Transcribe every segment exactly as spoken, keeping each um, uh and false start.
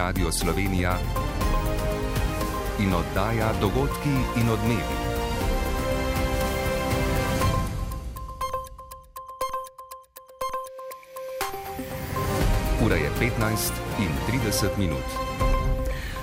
Radio Slovenija in oddaja Dogodki in odmevi. Ura je petnajst in trideset minut.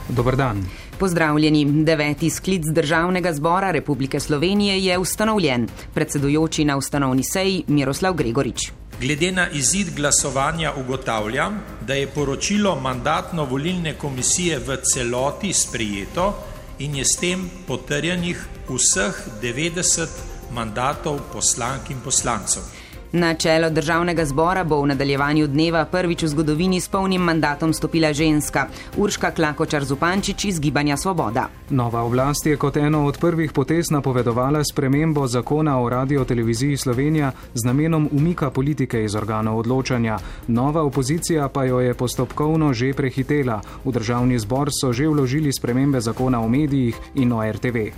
Dober dan. Pozdravljeni. Deveti sklic Državnega zbora Republike Slovenije je ustanovljen. Predsedujoči na ustanovni seji Miroslav Gregorič. Glede na izid glasovanja ugotavljam, da je poročilo Mandatno-volilne komisije v celoti sprejeto in je s tem potrjenih vseh devetdeset mandatov poslank in poslancev. Na čelo Državnega zbora bo v nadaljevanju dneva prvič v zgodovini s polnim mandatom stopila ženska, Urška Klakočar Zupančič iz Gibanja Svoboda. Nova oblast je kot eno od prvih potez napovedovala spremembo zakona o radioteleviziji Slovenija z namenom umika politike iz organov odločanja. Nova opozicija pa jo je postopkovno že prehitela. V Državni zbor so že vložili spremembe zakona o medijih in o R T V.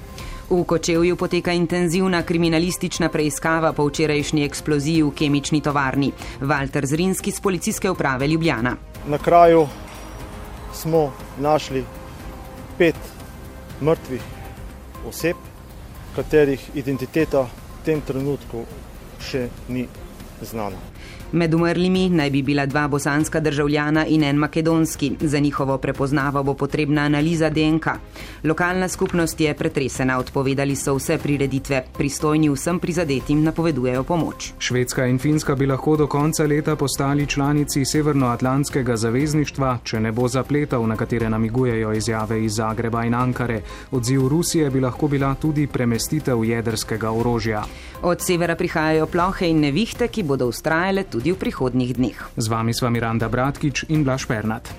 V Kočevju poteka intenzivna kriminalistična preiskava po včerajšnji eksploziji v kemični tovarni. Valter Zrinski z Policijske uprave Ljubljana. Na kraju smo našli pet mrtvih oseb, katerih identiteta v tem trenutku še ni znana. Med umrlimi naj bi bila dva bosanska državljana in en makedonski. Za njihovo prepoznavo bo potrebna analiza D N K. Lokalna skupnost je pretresena, odpovedali so vse prireditve. Pristojni vsem prizadetim napovedujejo pomoč. Švedska in Finska bi lahko do konca leta postali članici Severnoatlantskega zavezništva, če ne bo zapletov, na katere namigujejo izjave iz Zagreba in Ankare. Odziv Rusije bi lahko bila tudi premestitev jedrskega orožja. Od severa prihajajo plohe in nevihte, ki bodo vztrajale tudi v prihodnjih dneh. Z vami sva Miranda Bratkič in Blaž Pernat.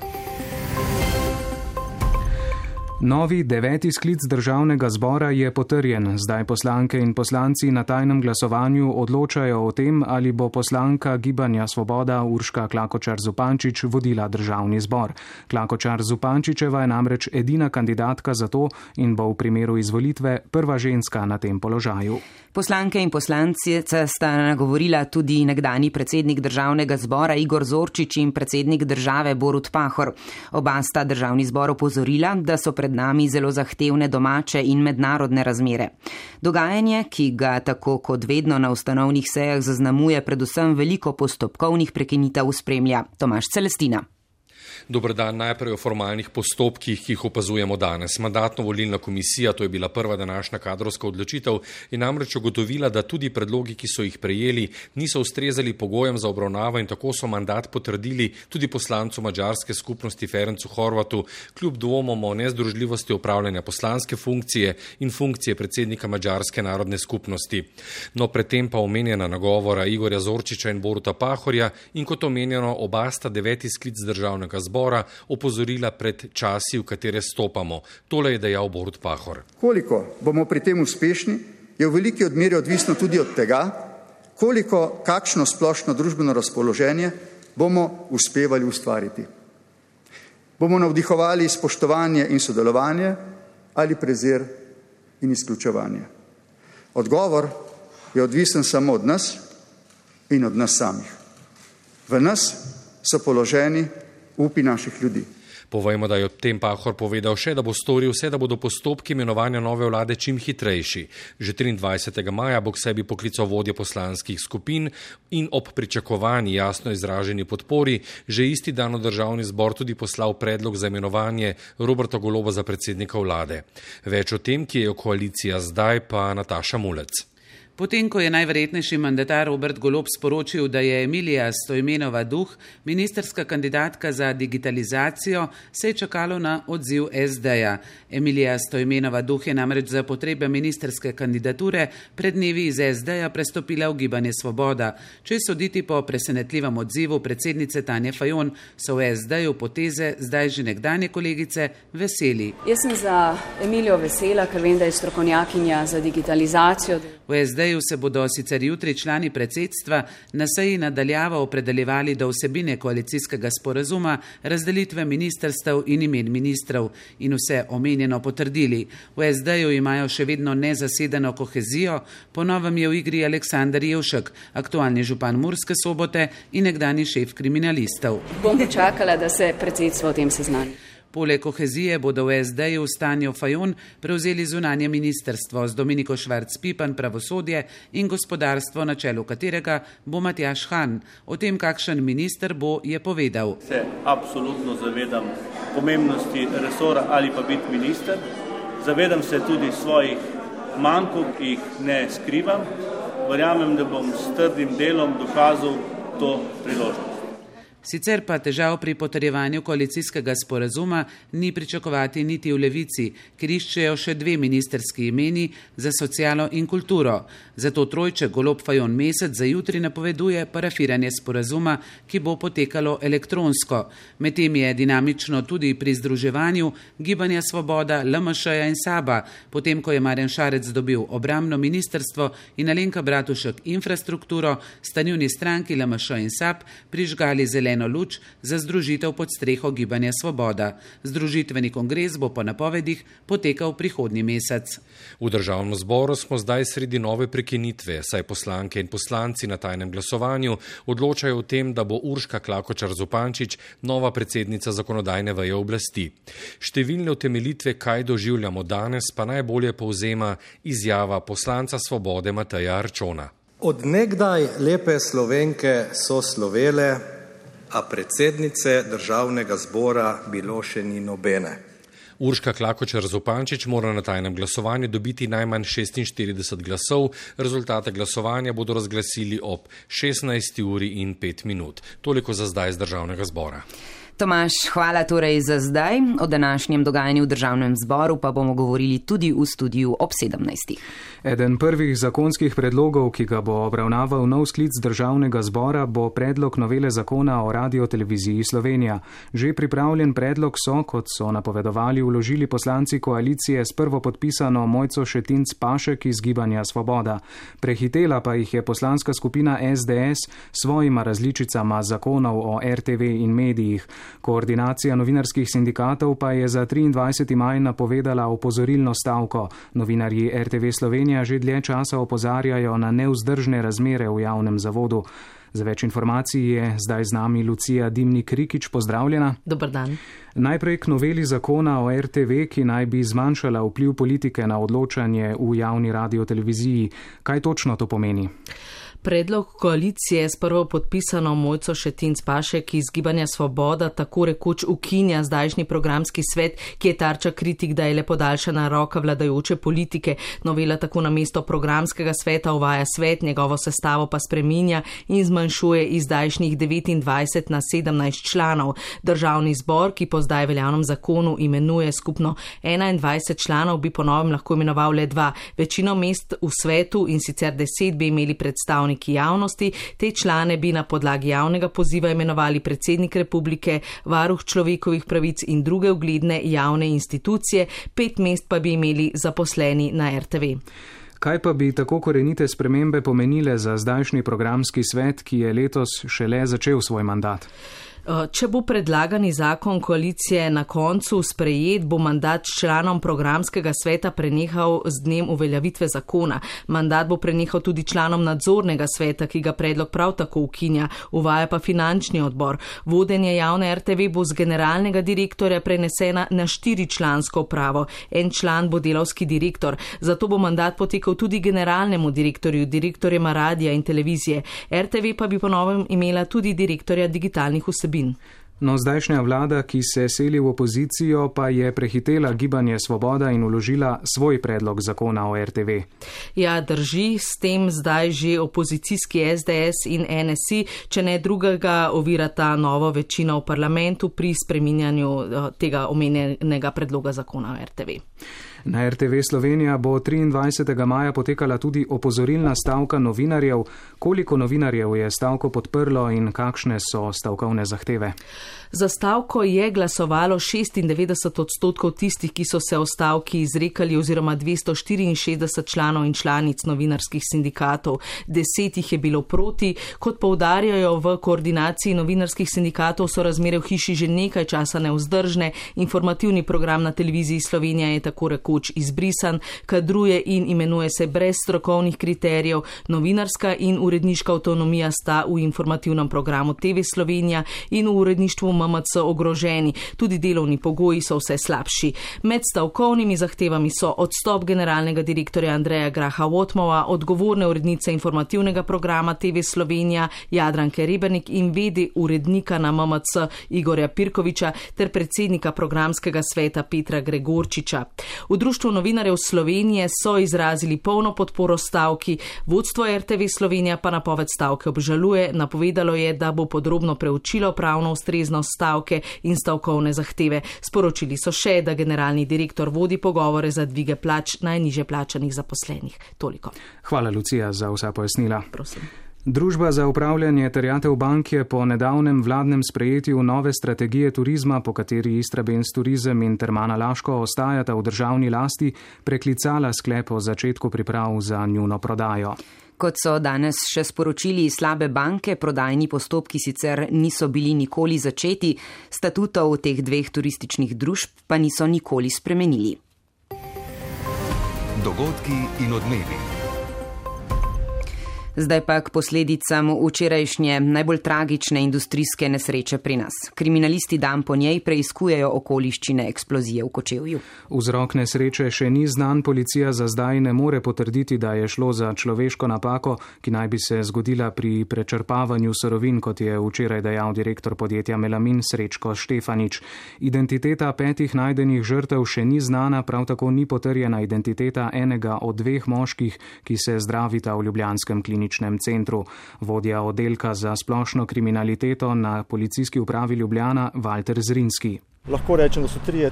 Novi deveti sklic Državnega zbora je potrjen. Zdaj poslanke in poslanci na tajnem glasovanju odločajo o tem, ali bo poslanka Gibanja Svoboda Urška Klakočar Zupančič vodila Državni zbor. Klakočar Zupančičeva je namreč edina kandidatka za to in bo v primeru izvolitve prva ženska na tem položaju. Poslanke in poslanci sta nagovorila tudi nekdani predsednik Državnega zbora Igor Zorčič in predsednik države Borut Pahor. Oba sta Državni zbor opozorila, da so pred nami zelo zahtevne domače in mednarodne razmere. Dogajanje, ki ga tako kot vedno na ustanovnih sejah zaznamuje predvsem veliko postopkovnih prekinitev, spremlja Tomaž Celestina. Dober dan. Najprej o formalnih postopkih, ki jih opazujemo danes. Mandatno-volilna komisija, to je bila prva današnja kadrovska odločitev, je namreč ugotovila, da tudi predlogi, ki so jih prejeli, niso ustrezali pogojem za obravnavo in tako so mandat potrdili tudi poslancu madžarske skupnosti Ferencu Horvatu, kljub dvomom o nezdružljivosti opravljanja poslanske funkcije in funkcije predsednika madžarske narodne skupnosti. No, predtem pa omenjena nagovora Igorja Zorčiča in Boruta Pahorja in kot omenjeno oba sta deveti sklic Državnega zbora opozorila pred časi, v katere stopamo. Tole je dejal Borut Pahor. Koliko bomo pri tem uspešni, je v veliki odmeri odvisno tudi od tega, koliko, kakšno splošno družbeno razpoloženje bomo uspevali ustvariti. Bomo navdihovali spoštovanje in sodelovanje ali prezir in izključevanje. Odgovor je odvisen samo od nas in od nas samih. V nas so položeni upi naših ljudi. Povejmo, da je ob tem Pahor povedal še, da bo storil vse, da bodo postopki imenovanja nove vlade čim hitrejši. Že triindvajsetega maja bo k sebi poklical vodje poslanskih skupin in ob pričakovani jasno izraženi podpori že isti dan v Državni zbor tudi poslal predlog za imenovanje Roberta Goloba za predsednika vlade. Več o tem, ki je koalicija zdaj, pa Nataša Mulec. Potem, ko je najverjetnejši mandatar Robert Golob sporočil, da je Emilija Stojmenova Duh ministrska kandidatka za digitalizacijo, se je čakalo na odziv S D-ja. Emilija Stojmenova Duh je namreč za potrebe ministrske kandidature pred dnevi iz S D-ja prestopila v Gibanje Svoboda. Če soditi po presenetljivem odzivu predsednice Tanje Fajon, so v S D-ju poteze zdaj že nekdanje kolegice veseli. Jaz sem za Emilijo vesela, ker vem, da je strokovnjakinja za digitalizacijo. V S D-ju se bodo sicer jutri člani predsedstva na seji nadaljavo opredeljevali do vsebine koalicijskega sporazuma, razdelitve ministrstev in imen ministrov in vse omenjeno potrdili. V S D-ju imajo še vedno nezasedeno kohezijo, po novem je v igri Aleksander Jevšek, aktualni župan Murske Sobote in nekdani šef kriminalistov. Bom počakala, da se predsedstvo o tem seznani. Poleg kohezije bodo v es de-ju Stanjo Fajon prevzeli zunanje ministrstvo z Dominiko Švarc-Pipan pravosodje in gospodarstvo, na čelu katerega bo Matjaž Han. O tem, kakšen minister bo, je povedal. Se absolutno zavedam pomembnosti resora ali pa biti minister. Zavedam se tudi svojih mankov, ki jih ne skrivam. Verjamem, da bom s trdim delom dokazal to priložnost. Sicer pa težav pri potrjevanju koalicijskega sporazuma ni pričakovati niti v Levici, ker iščejo še dve ministerski imeni za socialo in kulturo. Zato trojček Golob Fajon Mesec za jutri napoveduje parafiranje sporazuma, ki bo potekalo elektronsko. Medtem je dinamično tudi pri združevanju Gibanja Svoboda, el em š-ja in SAB-a, potem ko je Marjan Šarec dobil obrambno ministrstvo in Alenka Bratušek infrastrukturo, sta njuni stranki el em š in SAB prižgali zeleno eno luč za združitev pod streho Gibanja Svoboda. Združitveni kongres bo po napovedih potekal prihodnji mesec. V državnem zboru smo zdaj sredi nove prekinitve, saj poslanke in poslanci na tajnem glasovanju odločajo o tem, da bo Urška Klakočar Zupančič nova predsednica zakonodajne veje oblasti. Številne utemeljitve, kaj doživljamo danes, pa najbolje povzema izjava poslanca Svobode Mateja Arčona. Od nekdaj lepe Slovenke so slovele, a predsednice državnega zbora bilo še ni nobene. Urška Klakočar Zupančič mora na tajnem glasovanju dobiti najmanj šestinštirideset glasov, rezultate glasovanja bodo razglasili ob šestnajsti uri in pet minut. Toliko za zdaj z državnega zbora. Tomaž, hvala torej za zdaj. O današnjem dogajanju v državnem zboru pa bomo govorili tudi v studiu ob sedemnajstih. Eden prvih zakonskih predlogov, ki ga bo obravnaval nov sklic državnega zbora, bo predlog novele zakona o radioteleviziji Slovenija. Že pripravljen predlog so, kot so napovedovali, vložili poslanci koalicije s prvopodpisano Mojco Šetinc Pašek iz Gibanja Svoboda. Prehitela pa jih je poslanska skupina es de es s svojima različicama zakonov o er te ve in medijih. Koordinacija novinarskih sindikatov pa je za triindvajseti maj napovedala opozorilno stavko. Novinarji er te ve Slovenija že dlje časa opozarjajo na nevzdržne razmere v javnem zavodu. Za več informacij je zdaj z nami Lucija Dimnik-Rikič. Pozdravljena. Dobar dan. Najprej k noveli zakona o er te ve, ki naj bi zmanjšala vpliv politike na odločanje v javni radioteleviziji. Kaj točno to pomeni? Predlog koalicije s prvo podpisano Mojco Šetinc Pašek iz Gibanja Svoboda tako rekoč ukinja zdajšnji programski svet, ki je tarča kritik, da je le podaljšana roka vladajoče politike. Novela tako namesto programskega sveta uvaja svet, njegovo sestavo pa spreminja in zmanjšuje iz zdajšnjih devetindvajset na sedemnajst članov. Državni zbor, ki po zdaj veljavnem zakonu imenuje skupno enaindvajset članov, bi po novem lahko imenoval le dva. Večino mest v svetu in sicer deset bi imeli predstavniki javnosti, te člane bi na podlagi javnega poziva imenovali predsednik republike, varuh človekovih pravic in druge ugledne javne institucije, pet mest pa bi imeli zaposleni na er te ve. Kaj pa bi tako korenite spremembe pomenile za zdajšnji programski svet, ki je letos šele začel svoj mandat? Če bo predlagani zakon koalicije na koncu sprejet, bo mandat članom programskega sveta prenehal z dnem uveljavitve zakona. Mandat bo prenehal tudi članom nadzornega sveta, ki ga predlog prav tako ukinja, uvaja pa finančni odbor. Vodenje javne er te ve bo z generalnega direktorja prenesena na štiričlansko upravo. En član bo delavski direktor, zato bo mandat potekal tudi generalnemu direktorju, direktorjema radija in televizije. er te ve pa bi po novem imela tudi direktorja digitalnih vsebin. No, zdajšnja vlada, ki se seli v opozicijo, pa je prehitela Gibanje Svoboda in vložila svoj predlog zakona o er te ve. Ja, drži, s tem zdaj že opozicijski es de es in en es i, če ne drugega, ovirata novo večino v parlamentu pri spreminjanju tega omenjenega predloga zakona o er te ve. Na er te ve Slovenija bo triindvajsetega maja potekala tudi opozorilna stavka novinarjev. Koliko novinarjev je stavko podprlo in kakšne so stavkovne zahteve? Za stavko je glasovalo šestindevetdeset odstotkov tistih, ki so se o stavki izrekali, oziroma dvesto štiriinšestdeset članov in članic novinarskih sindikatov. Deset jih je bilo proti. Kot poudarjajo v koordinaciji novinarskih sindikatov, so razmere v hiši že nekaj časa nevzdržne. Informativni program na televiziji Slovenija je tako rekoč rekoč izbrisan, kadruje in imenuje se brez strokovnih kriterijev, novinarska in uredniška avtonomija sta v informativnem programu T V Slovenija in v uredništvu M M C ogroženi, tudi delovni pogoji so vse slabši. Med stavkovnimi zahtevami so odstop generalnega direktorja Andreja Graha Wotmova, odgovorne urednice informativnega programa T V Slovenija Jadranke Rebernik in vede urednika na M M C Igorja Pirkoviča ter predsednika programskega sveta Petra Gregorčiča. V Društvu novinarjev Slovenije so izrazili polno podporo stavki, vodstvo R T V Slovenija pa napoved stavke obžaluje, napovedalo je, da bo podrobno preučilo pravno ustreznost stavke in stavkovne zahteve. Sporočili so še, da generalni direktor vodi pogovore za dvige plač najniže plačanih zaposlenih. Toliko. Hvala, Lucija, za vsa pojasnila. Prosim. Družba za upravljanje terjatev bank je po nedavnem vladnem sprejetju nove strategije turizma, po kateri Istrabenz turizem in Termana Laško ostajata v državni lasti, preklicala sklep o začetku priprav za njuno prodajo. Kot so danes še sporočili slabe banke, prodajni postopki sicer niso bili nikoli začeti, statutov teh dveh turističnih družb pa niso nikoli spremenili. Dogodki in odmevi. Zdaj pa k posledicam včerajšnje najbolj tragične industrijske nesreče pri nas. Kriminalisti dan po njej preiskujejo okoliščine eksplozije v Kočevju. Vzrok nesreče še ni znan, policija za zdaj ne more potrditi, da je šlo za človeško napako, ki naj bi se zgodila pri prečrpavanju surovin, kot je včeraj dejal direktor podjetja Melamin Srečko Štefanič. Identiteta petih najdenih žrtev še ni znana, prav tako ni potrjena identiteta enega od dveh moških, ki se zdravita v ljubljanskem kliničnem centru. Vodja oddelka za splošno kriminaliteto na policijski upravi Ljubljana Valter Zrinski. Lahko rečem, da so trije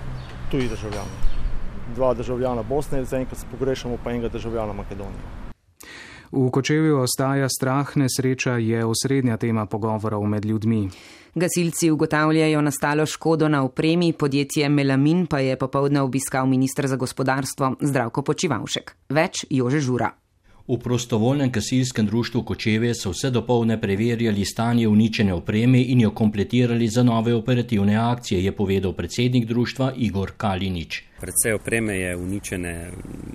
tuji državljani. Dva državljana Bosne, zaenkrat pogrešamo pa enega državljana Makedonije. V Kočevju ostaja strah, nesreča je osrednja tema pogovorov med ljudmi. Gasilci ugotavljajo nastalo škodo na opremi, podjetje Melamin pa je popoldne obiskal minister za gospodarstvo Zdravko Počivalšek. Več Jože Žura. V prostovoljnem gasilskem društvu Kočevje so vse dopoldne preverjali stanje uničene opreme in jo kompletirali za nove operativne akcije, je povedal predsednik društva Igor Kalinič. Predvsej opreme je uničene,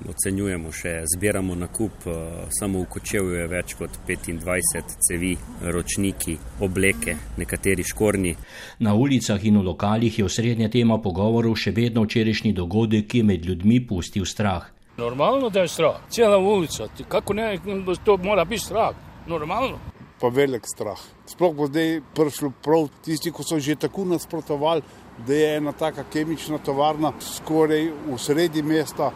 ocenjujemo še, zbiramo nakup, samo v Kočevju je več kot petindvajset cevi, ročniki, obleke, nekateri škornji. Na ulicah in v lokalih je osrednja tema pogovorov še vedno včerajšnji dogodek, ki je med ljudmi pustil strah. Normalno, da je strah. Cijela ulica. Kako ne, to mora biti strah. Normalno. Pa velik strah. Sploh bo zdaj prišlo prav tisti, ko so že tako nasprotovali, da je ena taka kemična tovarna skoraj v sredi mesta.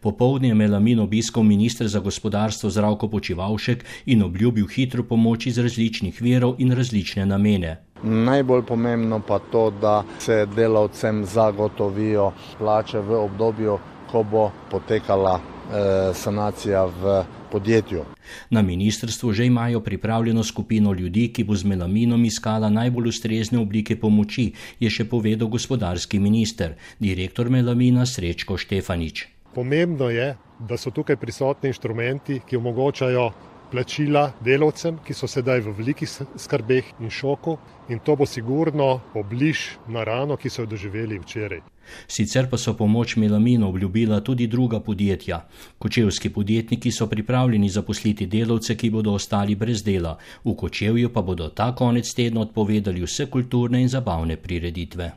Popoldne je Melamin obiskal minister za gospodarstvo Zdravko Počivalšek in obljubil hitro pomoč iz različnih virov in različne namene. Najbolj pomembno pa to, da se delavcem zagotovijo plače v obdobju, ko bo potekala eh, sanacija v podjetju. Na ministrstvu že imajo pripravljeno skupino ljudi, ki bo z Melaminom iskala najbolj ustrezne oblike pomoči, je še povedal gospodarski minister, direktor Melamina Srečko Štefanič. Pomembno je, da so tukaj prisotni inštrumenti, ki omogočajo plačila delavcem, ki so sedaj v velikih skrbeh in šoku, in to bo sigurno obliž na rano, ki so jo doživeli včeraj. Sicer pa so pomoč Melaminu obljubila tudi druga podjetja. Kočevski podjetniki so pripravljeni zaposliti delavce, ki bodo ostali brez dela. V Kočevju pa bodo ta konec tedna odpovedali vse kulturne in zabavne prireditve.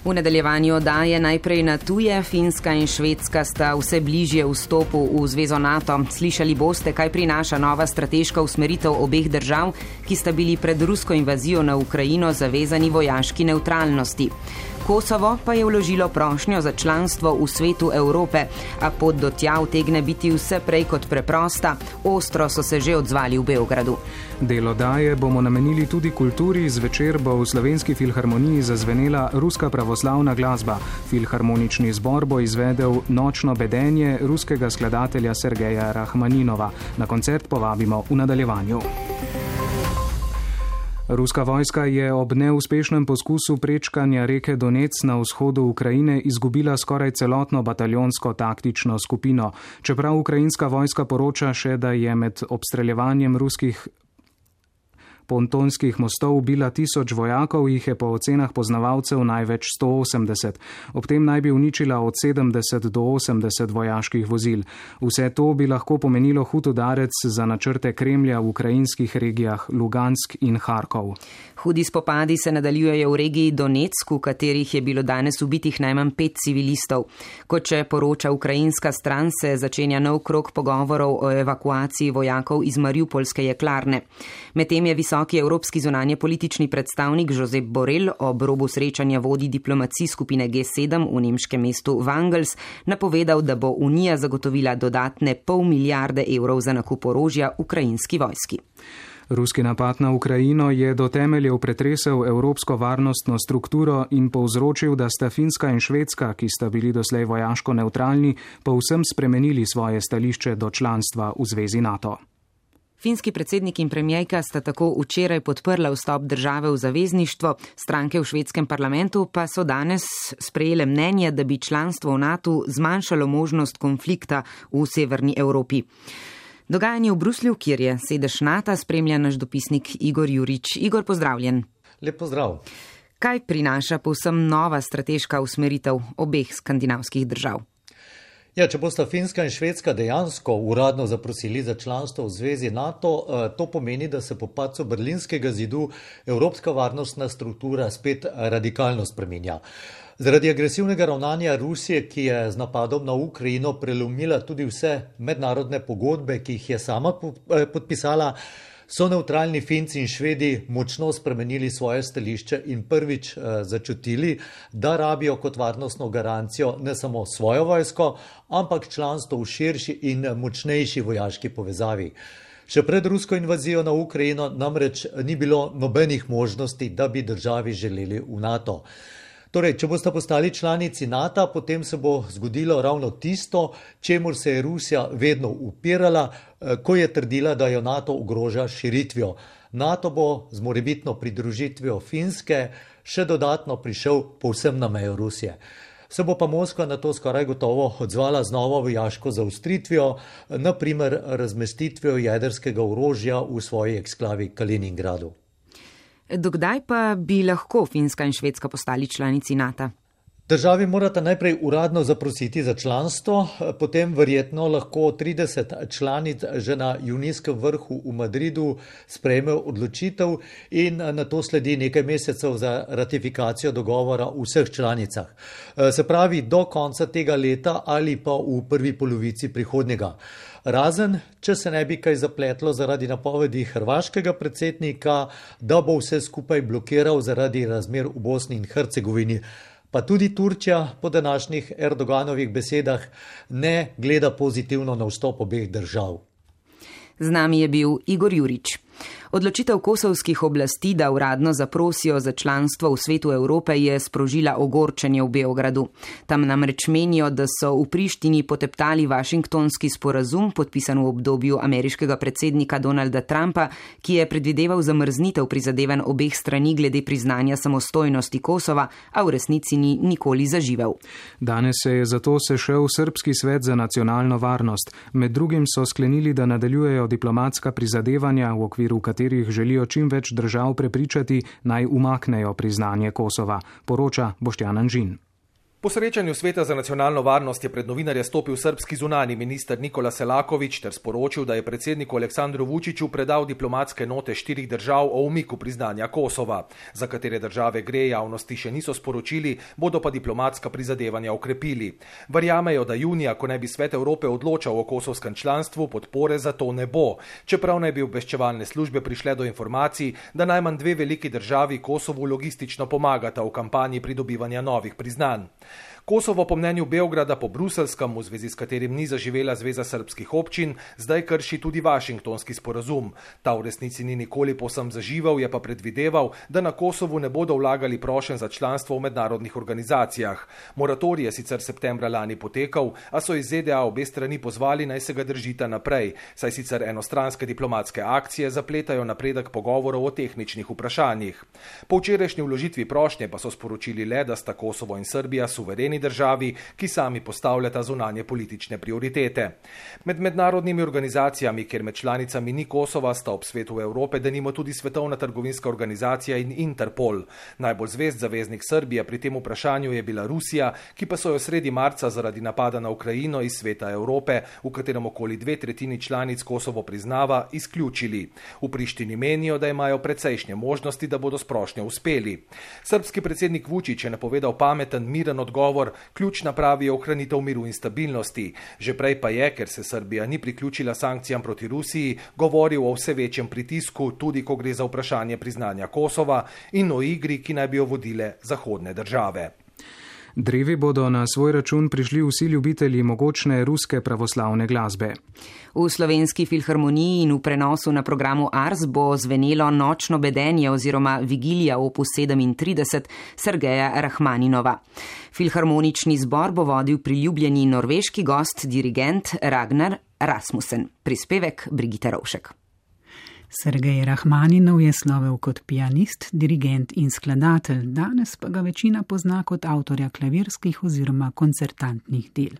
V nadaljevanju oddaje najprej na tuje, Finska in Švedska sta vse bližje vstopu v zvezo NATO. Slišali boste, kaj prinaša nova strateška usmeritev obeh držav, ki sta bili pred rusko invazijo na Ukrajino zavezani vojaški nevtralnosti. Kosovo pa je vložilo prošnjo za članstvo v Svetu Evrope, a pot do tja utegne biti vse prej kot preprosta. Ostro so se že odzvali v Beogradu. Del oddaje bomo namenili tudi kulturi. Zvečer bo v Slovenski filharmoniji zazvenela ruska pravoslavna glasba. Filharmonični zbor bo izvedel Nočno bedenje ruskega skladatelja Sergeja Rahmaninova. Na koncert povabimo v nadaljevanju. Ruska vojska je ob neuspešnem poskusu prečkanja reke Donec na vzhodu Ukrajine izgubila skoraj celotno bataljonsko taktično skupino. Čeprav ukrajinska vojska poroča še, da je med obstreljevanjem ruskih pontonskih mostov ubila tisoč vojakov, jih je po ocenah poznavalcev največ sto osemdeset. Ob tem naj bi uničila od sedemdeset do osemdeset vojaških vozil. Vse to bi lahko pomenilo hud udarec za načrte Kremlja v ukrajinskih regijah Lugansk in Harkov. Hudi spopadi se nadaljujejo v regiji Donetsk, v katerih je bilo danes ubitih najmanj pet civilistov. Kot če poroča ukrajinska stran, se začenja nov krog pogovorov o evakuaciji vojakov iz Mariupolske jeklarne. Medtem je visoki evropski zunanje politični predstavnik Josep Borrell ob robu srečanja vodij diplomacij skupine G sedem v nemškem mestu Wangels napovedal, da bo Unija zagotovila dodatne pol milijarde evrov za nakup orožja ukrajinski vojski. Ruski napad na Ukrajino je do temeljev pretresel evropsko varnostno strukturo in povzročil, da sta Finska in Švedska, ki sta bili doslej vojaško nevtralni, povsem spremenili svoje stališče do članstva v zvezi NATO. Finski predsednik in premijejka sta tako včeraj podprla vstop države v zavezništvo, stranke v švedskem parlamentu pa so danes sprejele mnenje, da bi članstvo v NATO zmanjšalo možnost konflikta v severni Evropi. Dogajanje v Bruslju, kjer je sedež NATO, spremlja naš dopisnik Igor Jurič. Igor, pozdravljen. Lep pozdrav. Kaj prinaša povsem nova strateška usmeritev obeh skandinavskih držav? Ja, če bosta Finska in Švedska dejansko uradno zaprosili za članstvo v zvezi NATO, to pomeni, da se po padcu Berlinskega zidu evropska varnostna struktura spet radikalno spreminja. Zaradi agresivnega ravnanja Rusije, ki je z napadom na Ukrajino prelomila tudi vse mednarodne pogodbe, ki jih je sama podpisala, so nevtralni Finci in Švedi močno spremenili svoje stališče in prvič začutili, da rabijo kot varnostno garancijo ne samo svojo vojsko, ampak članstvo v širši in močnejši vojaški povezavi. Še pred rusko invazijo na Ukrajino namreč ni bilo nobenih možnosti, da bi državi želeli v NATO. Torej, če boste postali članici NATO, potem se bo zgodilo ravno tisto, čemur se je Rusija vedno upirala, ko je trdila, da jo NATO ogroža širitvijo. NATO bo z morebitno pridružitvijo Finske še dodatno prišel povsem na mejo Rusije. Se bo pa Moskva na to skoraj gotovo odzvala z novo vojaško zaostritvijo, naprimer razmestitvijo jedrskega orožja v svoji eksklavi Kaliningradu. Dokdaj pa bi lahko Finska in Švedska postali članici NATO? Državi morata najprej uradno zaprositi za članstvo, potem verjetno lahko trideset članic že na junijskem vrhu v Madridu sprejme odločitev in na to sledi nekaj mesecev za ratifikacijo dogovora v vseh članicah. Se pravi do konca tega leta ali pa v prvi polovici prihodnjega. Razen, če se ne bi kaj zapletlo zaradi napovedi hrvaškega predsednika, da bo vse skupaj blokiral zaradi razmer v Bosni in Hercegovini. Pa tudi Turčija po današnjih Erdoganovih besedah ne gleda pozitivno na vstop obeh držav. Z nami je bil Igor Jurič. Odločitev kosovskih oblasti, da uradno zaprosijo za članstvo v Svetu Evrope, je sprožila ogorčenje v Beogradu. Tam namreč menijo, da so v Prištini poteptali Washingtonski sporazum, podpisan v obdobju ameriškega predsednika Donalda Trumpa, ki je predvideval zamrznitev prizadevanj obeh strani glede priznanja samostojnosti Kosova, a v resnici ni nikoli zaživel. Danes se je zato sešel Srbski svet za nacionalno varnost. Med drugim so sklenili, da nadaljujejo diplomatska prizadevanja, v okviru katerih želijo čim več držav prepričati, naj umaknejo priznanje Kosova, poroča Boštjan Anžin. Po srečanju Sveta za nacionalno varnost je pred novinarje stopil srbski zunani minister Nikola Selaković ter sporočil, da je predsedniku Aleksandru Vučiću predal diplomatske note štirih držav o umiku priznanja Kosova. Za katere države gre, javnosti še niso sporočili, bodo pa diplomatska prizadevanja okrepili. Verjamejo, da junija, ko naj bi Svet Evrope odločal o kosovskem članstvu, podpore za to ne bo. Čeprav naj bi obveščevalne službe prišle do informacij, da najmanj dve veliki državi Kosovu logistično pomagata v kampanji pridobivanja novih priznanj. Kosovo po mnenju Beograda po bruseljskem, v zvezi s katerim ni zaživela Zveza srbskih občin, zdaj krši tudi Washingtonski sporazum. Ta v resnici ni nikoli povsem zaživel, je pa predvideval, da na Kosovu ne bodo vlagali prošenj za članstvo v mednarodnih organizacijah. Moratorij je sicer septembra lani potekal, a so iz Z D A obe strani pozvali, naj se ga držita naprej, saj sicer enostranske diplomatske akcije zapletajo napredek pogovorov o tehničnih vprašanjih. Po včerajšnji vložitvi prošnje pa so sporočili le, da sta Kosovo in Srbija suvereni suvereni državi, ki sami postavljata zunanje politične prioritete. Med mednarodnimi organizacijami, kjer med članicami ni Kosova, sta ob svetu Evrope denimo tudi Svetovna trgovinska organizacija in Interpol. Najbolj zvest zaveznik Srbije pri tem vprašanju je bila Rusija, ki pa so jo sredi marca zaradi napada na Ukrajino iz sveta Evrope, v katerem okoli dve tretjini članic Kosovo priznava, izključili. V Prištini menijo, da imajo precejšnje možnosti, da bodo s prošnjo uspeli. Srbski predsednik Vučić je napovedal pameten, miren odgovor, ključna pravi je ohranitev miru in stabilnosti. Že prej pa je, ker se Srbija ni priključila sankcijam proti Rusiji, govoril o vse večjem pritisku, tudi ko gre za vprašanje priznanja Kosova in o igri, ki naj bi jo vodile zahodne države. Drevi bodo na svoj račun prišli vsi ljubitelji mogočne ruske pravoslavne glasbe. V Slovenski filharmoniji in v prenosu na programu Ars bo zvenelo Nočno bedenje oziroma Vigilija opus sedemintrideset Sergeja Rahmaninova. Filharmonični zbor bo vodil priljubljeni norveški gost, dirigent Ragnar Rasmussen. Prispevek Brigitte Rovšek. Sergej Rahmaninov je slovel kot pianist, dirigent in skladatelj, danes pa ga večina pozna kot avtorja klavirskih oziroma koncertantnih del.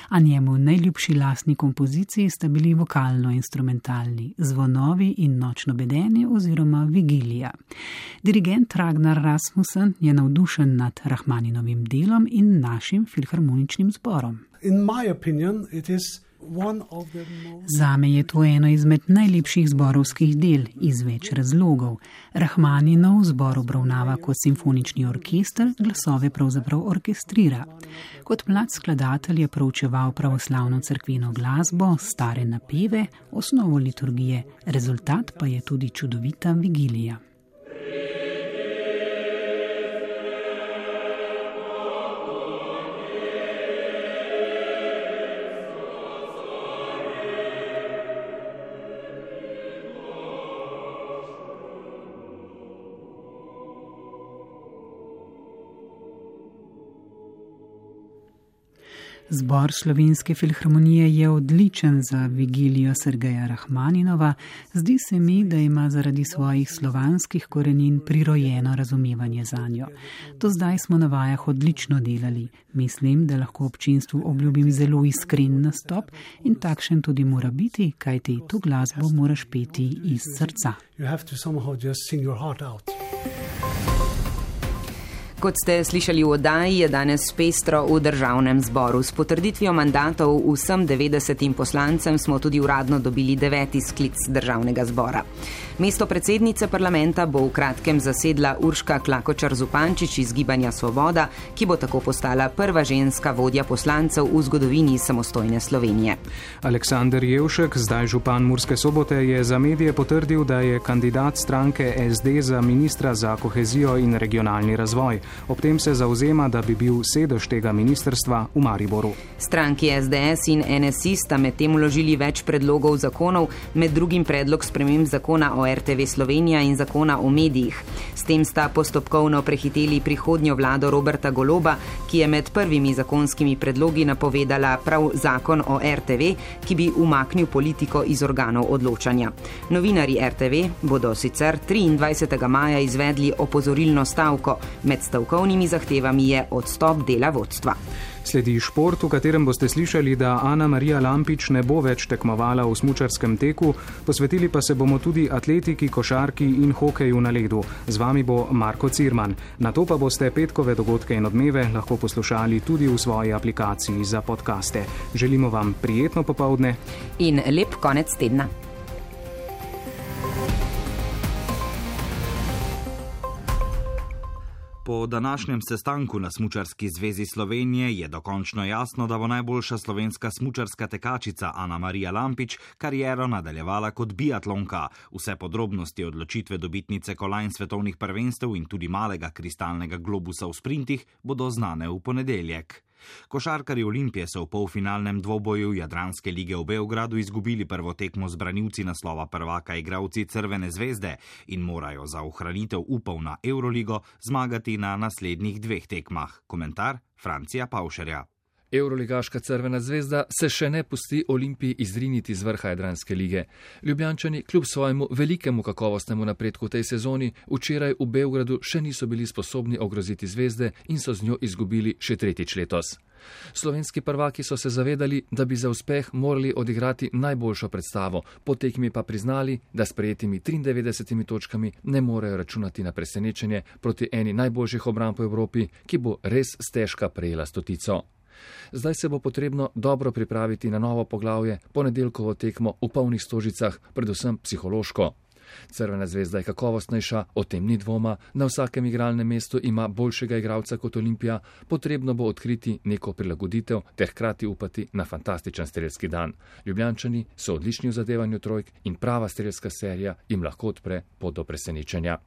A njemu najljubši lastni kompoziciji sta bili vokalno-instrumentalni Zvonovi in Nočno bedenje oziroma Vigilija. Dirigent Ragnar Rasmussen je navdušen nad Rahmaninovim delom in našim filharmoničnim zborom. In my opinion, it is Zame je to eno izmed najlepših zborovskih del iz več razlogov. Rahmaninov zbor obravnava kot simfonični orkester, glasove pravzaprav orkestrira. Kot mlad skladatelj je proučeval pravoslavno cerkveno glasbo, stare napeve, osnovo liturgije, rezultat pa je tudi čudovita vigilija. Zbor Slovenske filharmonije je odličen za vigilijo Sergeja Rahmaninova. Zdi se mi, da ima zaradi svojih slovanskih korenin prirojeno razumevanje zanjo. Do zdaj smo na vajah odlično delali. Mislim, da lahko občinstvu obljubim zelo iskren nastop in takšen tudi mora biti, kajti to glasbo moraš peti iz srca. Kot ste slišali v oddaji, je danes pestro v državnem zboru. S potrditvijo mandatov vsem devetdesetim poslancem smo tudi uradno dobili deveti sklic državnega zbora. Mesto predsednice parlamenta bo v kratkem zasedla Urška Klakočar Zupančič iz Gibanja Svoboda, ki bo tako postala prva ženska vodja poslancev v zgodovini samostojne Slovenije. Aleksander Jevšek, zdaj župan Murske Sobote, je za medije potrdil, da je kandidat stranke S D za ministra za kohezijo in regionalni razvoj. Ob tem se zauzema, da bi bil sedež tega ministrstva v Mariboru. Stranki S D S in N S I sta med tem vložili več predlogov zakonov, med drugim predlog sprememb zakona o R T V Slovenija in zakona o medijih. S tem sta postopkovno prehiteli prihodnjo vlado Roberta Goloba, ki je med prvimi zakonskimi predlogi napovedala prav zakon o R T V, ki bi umaknil politiko iz organov odločanja. Novinarji R T V bodo sicer triindvajsetega maja izvedli opozorilno stavko. Med stavkovnimi zahtevami je odstop dela vodstva. Sledi šport, v katerem boste slišali, da Ana Marija Lampič ne bo več tekmovala v smučarskem teku, posvetili pa se bomo tudi atletiki, košarki in hokeju na ledu. Z vami bo Marko Cirman. Na to pa boste petkove dogodke in odmeve lahko poslušali tudi v svoji aplikaciji za podcaste. Želimo vam prijetno popoldne in lep konec tedna. Po današnjem sestanku na Smučarski zvezi Slovenije je dokončno jasno, da bo najboljša slovenska smučarska tekačica Ana Marija Lampič kariero nadaljevala kot biatlonka. Vse podrobnosti odločitve dobitnice kolajn svetovnih prvenstev in tudi malega kristalnega globusa v sprintih bodo znane v ponedeljek. Košarkarji Olimpije so v polfinalnem dvoboju Jadranske lige v Beogradu izgubili prvo tekmo z branilci naslova prvaka igralci Crvene zvezde in morajo za ohranitev upov na Euroligo zmagati na naslednjih dveh tekmah. Komentar Francija Pavšerja. Evroligaška Crvena zvezda se še ne pusti Olimpiji izriniti z vrha Jadranske lige. Ljubljančani kljub svojemu velikemu kakovostnemu napredku v tej sezoni včeraj v Beogradu še niso bili sposobni ogroziti zvezde in so z njo izgubili še tretjič letos. Slovenski prvaki so se zavedali, da bi za uspeh morali odigrati najboljšo predstavo, po tekmi pa priznali, da s prejetimi triindevetdesetimi točkami ne morejo računati na presenečenje proti eni najboljših obramb v Evropi, ki bo res stežka prejela stotico. Zdaj se bo potrebno dobro pripraviti na novo poglavje, ponedeljkovo tekmo v polnih stožicah, predvsem psihološko. Crvena zvezda je kakovostnejša, o tem ni dvoma, na vsakem igralnem mestu ima boljšega igralca kot Olimpija, potrebno bo odkriti neko prilagoditev ter hkrati upati na fantastičen strelski dan. Ljubljančani so odlični v zadevanju trojk in prava strelska serija jim lahko odpre pot do presenečenja.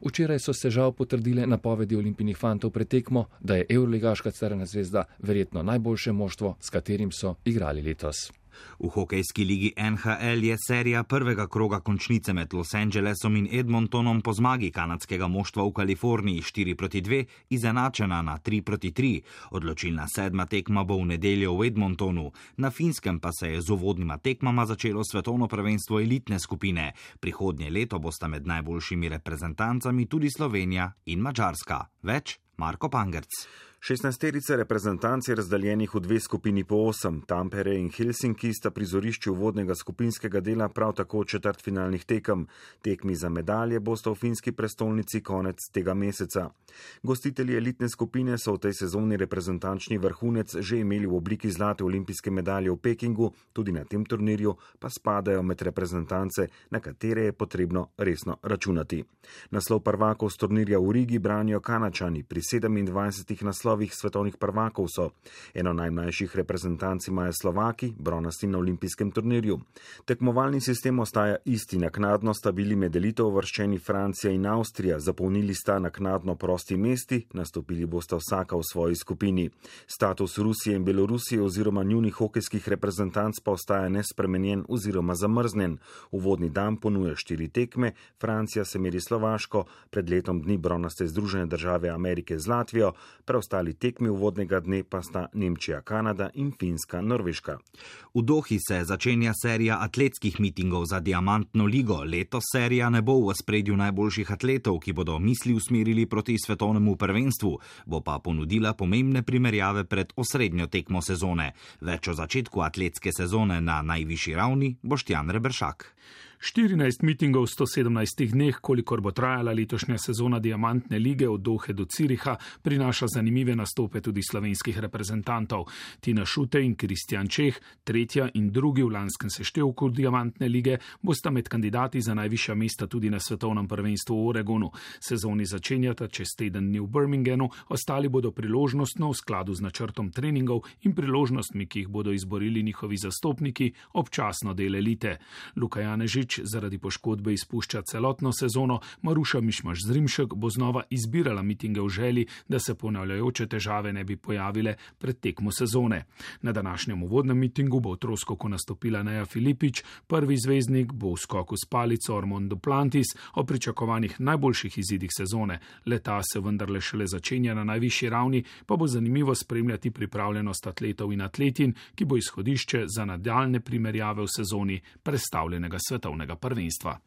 Včeraj so se žal potrdile napovedi Olimpijinih fantov pred tekmo, da je Evroligaška Crvena zvezda verjetno najboljše moštvo, s katerim so igrali letos. V hokejski ligi N H L je serija prvega kroga končnice med Los Angelesom in Edmontonom po zmagi kanadskega moštva v Kaliforniji štiri proti dve izenačena na tri proti tri. Odločilna sedma tekma bo v nedeljo v Edmontonu. Na Finskem pa se je z uvodnima tekmama začelo svetovno prvenstvo elitne skupine. Prihodnje leto bosta med najboljšimi reprezentancami tudi Slovenija in Madžarska. Več Marko Pangerc. šestnajsterice reprezentanc je razdeljenih v dve skupini po osem. Tampere in Helsinki sta prizorišči uvodnega skupinskega dela, prav tako četrtfinalnih tekem. Tekmi za medalje bosta v finski prestolnici konec tega meseca. Gostitelji elitne skupine so v tej sezoni reprezentančni vrhunec že imeli v obliki zlate olimpijske medalje v Pekingu, tudi na tem turnirju pa spadajo med reprezentance, na katere je potrebno resno računati. Naslov prvakov z turnirja v Rigi branijo Kanačani, pri sedemindvajsetih naslovih svetovnih prvakov so. Eno najmlajših reprezentanc imajo Slovaki, bronasti na olimpijskem turnirju. Tekmovalni sistem ostaja isti, naknadno sta bili med elito uvrščeni Francija in Avstrija, zapolnili sta naknadno prosti mesti, nastopili bosta vsaka v svoji skupini. Status Rusije in Belorusije oziroma njunih hokejskih reprezentanc pa ostaja nespremenjen oziroma zamrznjen. Uvodni dan ponuja štiri tekme, Francija se meri Slovaško, pred letom dni bronaste Združene države Amerike z Latvijo, preostali tekmi uvodnega dne pa sta Nemčija, Kanada in Finska, Norveška. V Dohi se začenja serija atletskih mitingov za diamantno ligo. Letos serija ne bo v ospredju najboljših atletov, ki bodo misli usmerili proti svetovnemu prvenstvu, bo pa ponudila pomembne primerjave pred osrednjo tekmo sezone. Več o začetku atletske sezone na najvišji ravni Boštjan Reberšak. štirinajst mitingov v sto sedemnajstih dneh, kolikor bo trajala letošnja sezona diamantne lige od Dohe do Ciriha, prinaša zanimive nastope tudi slovenskih reprezentantov. Tina Šutej in Kristjan Čeh, tretja in drugi v lanskem seštevku diamantne lige, bosta med kandidati za najvišja mesta tudi na svetovnem prvenstvu v Oregonu. Sezoni začenjata čez teden dni v Birminghamu, ostali bodo priložnostno v skladu z načrtom treningov in priložnostmi, ki jih bodo izborili njihovi zastopniki, občasno del elite. Luka Janežič zaradi poškodbe izpušča celotno sezono, Maruša Mišmaš Zrimšek bo znova izbirala mitinge v želji, da se ponavljajoče težave ne bi pojavile pred tekmo sezone. Na današnjem uvodnem mitingu bo v troskoku nastopila Neja Filipič, prvi zvezdnik bo v skoku s palico Ormond Duplantis, o pričakovanih najboljših izidih sezone. Leta se vendarle šele začenja na najvišji ravni, pa bo zanimivo spremljati pripravljenost atletov in atletin, ki bo izhodišče za nadaljne primerjave v sezoni predstavljenega svetovnega prvenstva.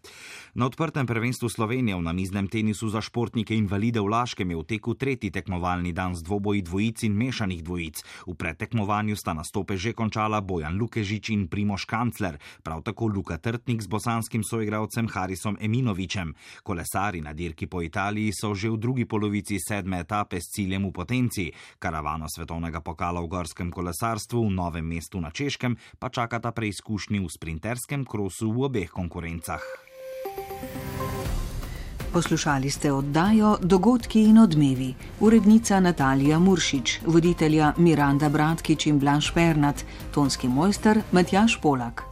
Na odprtem prvenstvu Slovenije v namiznem tenisu za športnike invalide v Laškem je v teku tretji tekmovalni dan z dvoboji dvojic in mešanih dvojic. V predtekmovanju sta nastope že končala Bojan Lukežič in Primož Kancler, prav tako Luka Trtnik z bosanskim soigralcem Harisom Eminovičem. Kolesari na dirki po Italiji so že v drugi polovici sedme etape s ciljem v Potenci. Karavano svetovnega pokala v gorskem kolesarstvu v Novem mestu na Češkem pa čakata preizkušnji v sprinterskem krosu v obeh konkurencah. Poslušali ste oddajo Dogodki in odmevi. Urednica Natalija Muršič, voditelja Miranda Bratkič in Blaž Pernat, tonski mojster Matjaž Polak.